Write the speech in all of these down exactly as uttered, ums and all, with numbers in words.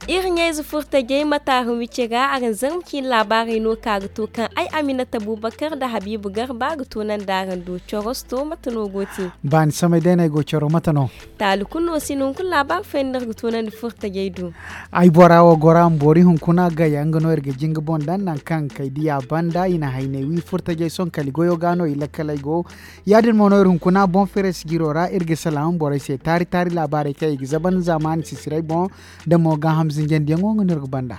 Iri ɲayze furtajey mataara wici ra araŋ zarma ciine laabaarey no ka ga to kaŋ ay aminata bubakar nda habiibu garba ga to naŋ da araŋ do coros to mate no go te? Baani samay day no ay go coro mate no? Taali kulu no si no hunkuna laabaari fayda no iri ga to naŋ da furtajey do. Ay bora wo gora ma boori hunkuna gaya nga no iri ga jinga boŋ daŋ naŋ kaŋ kay diya banda i na haynay wi furtajey soŋ kali goyo ga no i lakkaley go. Ya- din mo no iri hunkuna boŋ feere sijiro ra iri ga salaama borey se taari taari laabaarey kaŋ i ga zaban zaamaani sisiray boŋ. Da mo gaaham zinjandiyaŋo nga no iri ga banda.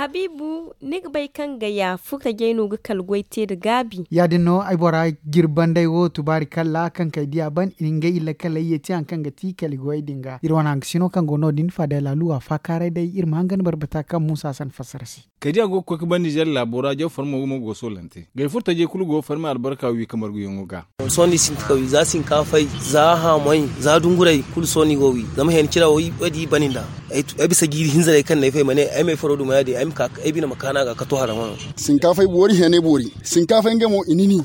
Habiibu, ni ga bay kaŋ gaya furtajey no ga kala goy te nda gaabi? Ya- din no ay bora jirbanday wo tubaari kalla kaŋ kay diya ban ngey illa kala ye te haŋ kaŋ ga ti kala goyey din ga iri wane haŋ ga sino kaŋ go no- din faada laalu a faakaaray day iri ma haŋ ga ni barbata kaŋ muusa san fassara se. Kay diya go ga koy ga ban nizer laabo ra jaw farmo mo go ga soolante gay furtajey kulu go ga farmi albarka wi ka marguyaŋo ga. Sohõ ni sinti ka wi za sinkaafay, za haamay, za dunguray kulu sohõ ni go ga wi. Zama heen cira wo ay di i bani nd'a. Ay bisa jiiri hinza day kaŋ no ay fay ma ne ay ma ay faro duma ya- din ay ma ka ay bine ma kaanu a ga ka to haraŋ wano. Sinkaafay boori heenay boori. Sinkaafay ngey mo i nini.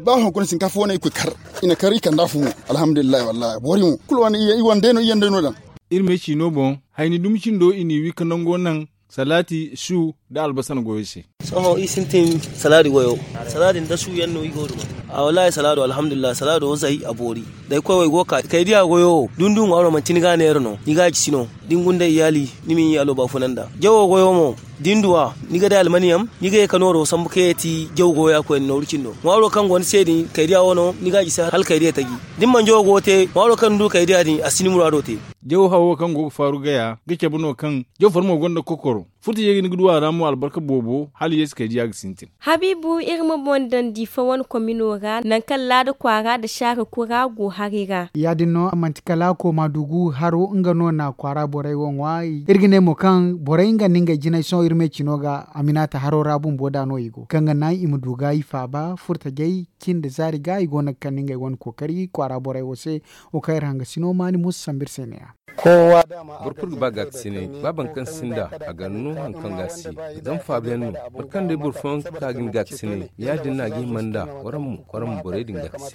Ba hunkuna sinkaafa wane i koy kar. I na kar i kand'a fu mo. Alhamdulillahi wallahi boori mo kulu wane i wane day no i yaŋ day no daŋ. Iri me ciino boŋ, hayni dumi cindo i n'i wi ka nango naŋ, salaati su, nda albasana goyo se. Sohõ i sintin salaadi goyo. Salaadi nda su yaŋ no i go duma. A wallaahi salaado alhamdulillahi salaado zay a boori. Day koy wo i go ga ka kay diya goyo wo da ni du ŋwaaro manti ni ga a neera no ni ga a jisi no. Da ni gunda iyaali, ni ma ni iyaalo baafuna nd'a jawo goyo mo. Da ni du a, ni ga day almaniyam, ni ga ye ka nooro sambu kaŋ ye ti jaw goya koyne nooru cindo ŋwaaro kaŋ go ni se din kay diya wo no ni ga a jisi hala kay diya taji. Da ni mana jawo goyo te ŋwaaro kaŋ ni du kay diya din a si ni muraado te. Jaw hawo kaŋ go ga faaru gaya ga cabe no kaŋ jaw farmo gonda kokoro. Furtajey ga ni ga du a ra mo albarka boobo hala yeesu kay diya ga sintin. Habiibu iri ma boŋ daŋ diifa wane komino ra nangu kaŋ laada kwaara nda saara kura go haray ra. Ya- din no manti kala kooma dugu haro nga no na kwaara borey wo ŋwa. Iri ga ne mo kaŋ borey nga nda ngey jinay sohõ iri me cino ga aminata haro ra bumbo da no i go kaŋ ga naŋ i ma du ga i faaba furtajey cin da zaari ga i go no ga kande ngey wane kookari kwaara borey wo se. Wo kaŋ iri hangasino maani muusa sambu iri se ne-ya. Boro kulu ga ba gaakasinay ba boro kaŋ sinda a ga no haŋ kaŋ ga a si. Zama faabu yaŋ no boro kaŋ day boro fooyaŋ ka ga ni gaakasinay ya- din no a ga hima nd'a. Waraŋ mo waraŋ ma borey din gaakasi.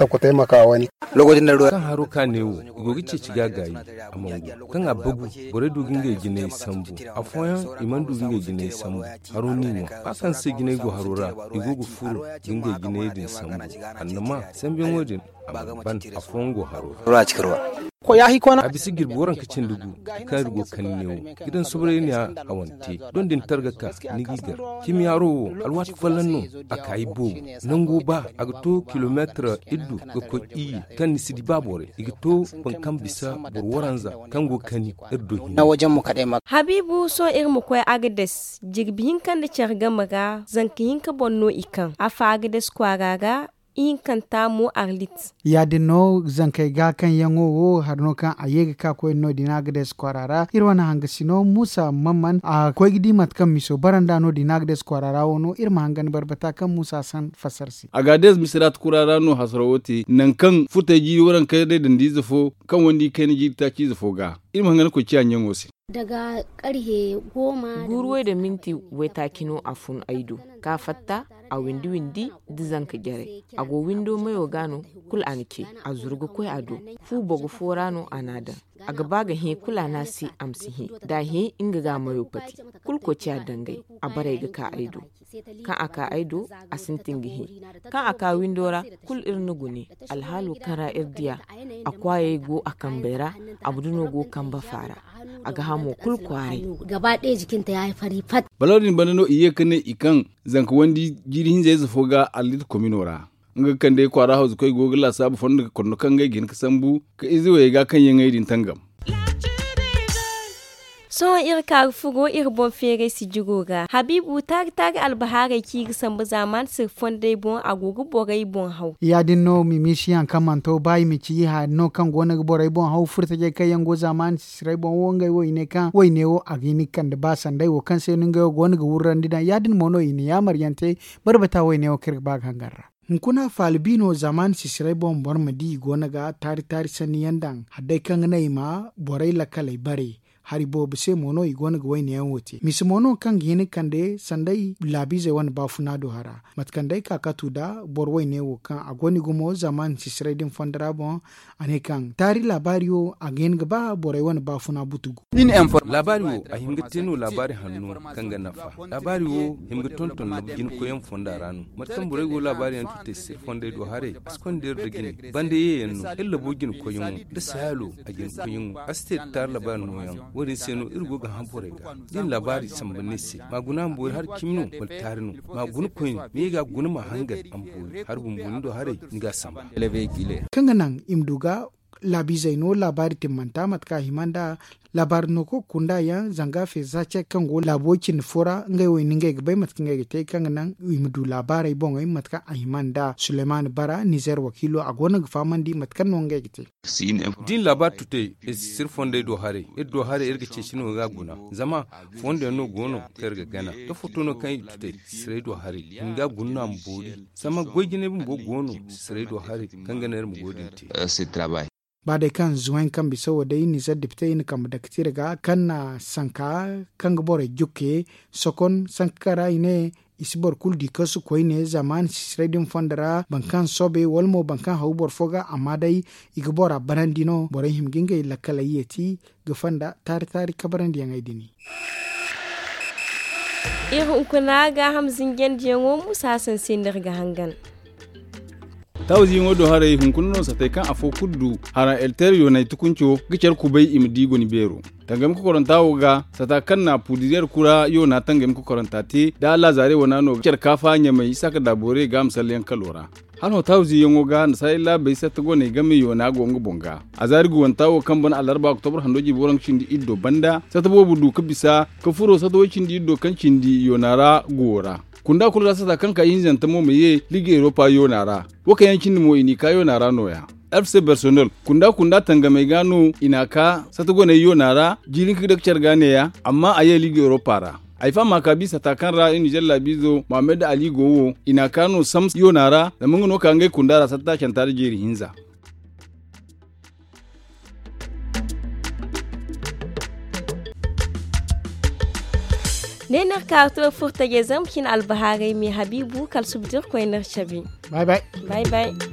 Kaŋ haro ka ne wo i go ga ceeci ga a gaayi a mangu kaŋ a bagu. Borey du ga ngey jinay sambu. Afooyaŋ i mana du ga ngey jinay sambu. Haro n'i ŋwa ba kaŋ se jinay go haro ra i go ga furo ga ngey jinay din sambu. Annama sambuyaŋo din a mana ban afooyaŋ go haro ra. A bisa jirbi waranka cindi gu kaŋ iri go ga kande neewo ga daŋ soborey ne a hawante doŋ da ni targa ka ni g'i gar. Cimi haro wo alwaati folloŋ no a kaayi boobo. Nango ba a ga to kilomeetir iddu ga koy iyye kaŋ ni si di ba borey i ga to boro kaŋ bisa boro waranza kaŋ go ga kani iri do hinne. Habiibu sohõ iri ma koy agades jirbi hinka nda care game ra zanka hinka boŋ no i kaŋ afa agades kwaara ra. Ihinkanta mo arlit. Ya- din no zankey ga kaŋ yaŋo wo hari no kaŋ a ye ga ka koyne no- din agades kwaara ra iri wane hangasino muusa mamman a koy ga di mate kaŋ miso bara nd'a no- din agades kwaara ra wo no iri ma hangan barbata kaŋ muusa san fassara se. Agades misiraata kura ra no hasaro wo te nangu kaŋ furtey jiiri warankey day dandi ize fo kaŋ wandi kayna jiiri taaci ize fo ga. Iri ma hangan koy ciya ɲaŋo se. Guuruwey da minti waytaaci no a fun ay do ka fatta a windi windi da zanka jaray. A go windo mayo ga no kulu a na ce a zuru ga koy a do. Fu bogo fo ra no a n'a daŋ. A ga ba ga hẽ kulu a n'a se a ma si hẽ da a hẽ nga ga a mayo pati. Kulu koociya dangay a baray ga ka ay do. Kaŋ a ka ay do a sintin ga hẽ. Kaŋ a ka windo ra kulu iri na gune. Alhaalo kaŋ ra iri diya a kwaayey go a kambey ra. A ma duno go kamba faara. A ga hamo kulu kwaaray. Balaw din banda no i ye ka ne i kaŋ zanka wandi jiiri hinza ize fo ga allit komino ra. Nga ga kande kwaara hawzu koy go ga laasaabu fondo ga kondo kaŋ ga ay ga hin ka sambu ka ize wayey ga kaŋ yaŋ ay din tangam. Sohõ iri ka ga furo iri boŋ feeray sijiro ga habiibu taari taari albahaarey kaŋ i ga sambu zaamaani siri fondey boŋ a go ga borey boŋ haw. Ya- din no mimisiyaŋ kaŋ mana to ba i ma ci i haari no kaŋ go no ga borey boŋ haw furtajey kaŋ yaŋ go zaamaani sisiray boŋ wo ngey wo i ne kaŋ wayne wo a ga hin ga kande ba sanday wo kaŋ se no ngey wo go no ga wurrandi daŋ ya- din mo no i na yaamar yaŋ te. Barbata wayne wo kaŋ iri ga ba ga hangan ra. Hunkuna faala biino zamaani sisiray boŋ boro ma di i go no ga taari taari sanni yaŋ daŋ hari day kaŋ ga naŋ i ma borey lakkaley bare. Hari boobo se mo no i go no ga wayne yaŋ wo te mise mo no kaŋ ga hin ga kande sanday laabiizey wane baafuna do hara mate kaŋ day kaakatu nda boro wayne wo kaŋ a go no i gumo zamaani sisiray din fondo ra boŋ. A ne kaŋ taari laabaari wo a ga hin ga ba borey wane baafuna butugu. Laabaari wo a hin ga te no laabaari hanno kaŋ ga nafa. Laabaari wo hin ga tonton no jina koyyaŋ fonda ra no. Mate kaŋ borey go laabaari yaŋ tutay sisir fondey do haray a si konda iri nda jine banda yeeyaŋ no iri labo jina koyyaŋo nda sayaalo. A jina koyyaŋo a si te da taari laabaari nooyaŋ. Wo- din se no iri go ga hã borey ga da i na laabaari samba ne se ma guna a ma boori hari cimi no wala taari no? Ma guna koyne ma ye ga a guna ma hangan a ma boori hari bumbo ni do haray ni ga a samba. Kaŋ ga naŋ i ma du ga laabiizey no laabaari timmanta mate kaŋ a hima nda laabaari no kaŋ ga kunda yaŋ zanga feeza ce kaŋ go laabo cindi fo ra ngey wo i na ngey ga bay mate kaŋ ngey ga te kaŋ ga naŋ i ma du laabaarey boŋey mate kaŋ a hima nda suleymaani bara nizer wakiilo a go no ga fahamandi mate kaŋ no ngey ga te. Da i na laabaari tutay iri si sisir fondey do haray iri do haray iri ga ceeci no ga a guna. Zama fondo yaŋ no go no kaŋ iri ga gana da foto no kaŋ i tutay sisiray do haray i ma ga a guna no a ma boori. Zama goy jinay bumbo go no sisiray do haray kaŋ ga naŋ iri ma goy din te. Ba day kaŋ zuwayn kaŋ bisa wo day nizer depite i na kambe dakatira ga kaŋ na sanka kaŋ ga borey jukke sokon sanka kaŋ ra i ne i si boro kulu di kasu koyne zamaani sisiray din fondo ra boro kaŋ soobay wala mo boro kaŋ haw boro fo ga amma day i ga bora banandi no borey hima ga ngey lakkaley yeeti ga fonda taari taari kabarandi yaŋey din. Iri hunkuna gaaham zinjandiyaŋo musa hasan se no iri ga hangan. Taawu ziiyaŋo do haray hunkuna no satay kaŋ afo kulu du hara elter yoonay tukunco ga care kubay i ma di goni beero. Tangami kokoranta wo ga sata kaŋ na puudiriyar kura yoona tangami kokoranta te da alaazaare wana no ga care kaafa ɲamay isaaka daaboore ga a ma salleyaŋ kalo ra. Hala hotaawu ziiyaŋo ga nasaara laabey satta goney game yoona go nga boŋ ga. Azaari guwanta wo kaŋ ban alarba oktobra hando jiibi waranka cindi iddo banda satta boobo du ga bisa ga furo satta way cindi iddo kaŋ cindi yoona ra guwo ra. Kunda kulu ra satta kaŋ ka ihinzanta mo ma ye liga eropa yoona ra. Wo kaŋ yaŋ cindi mo i n'i ka yoona ra nooya. Alfise bersonel kunda kunda tangamey ga no i n'a ka satta goney yoona ra jiiri hinka ga dake care ga neeya amma a ye liga eropa ra. Ay faham a ka bisa ta kaŋ ra iri nizer laabiizo mohammed ali go wo i n'a ka no sams yoona ra zama nga no ka ngey kunda ra satta canta da jeeri hinza. Ne no iri ka ga to iri furo tajey zambu cine albahaarey me habiibu kala suba da iri koy no iri cabe. Bay bay.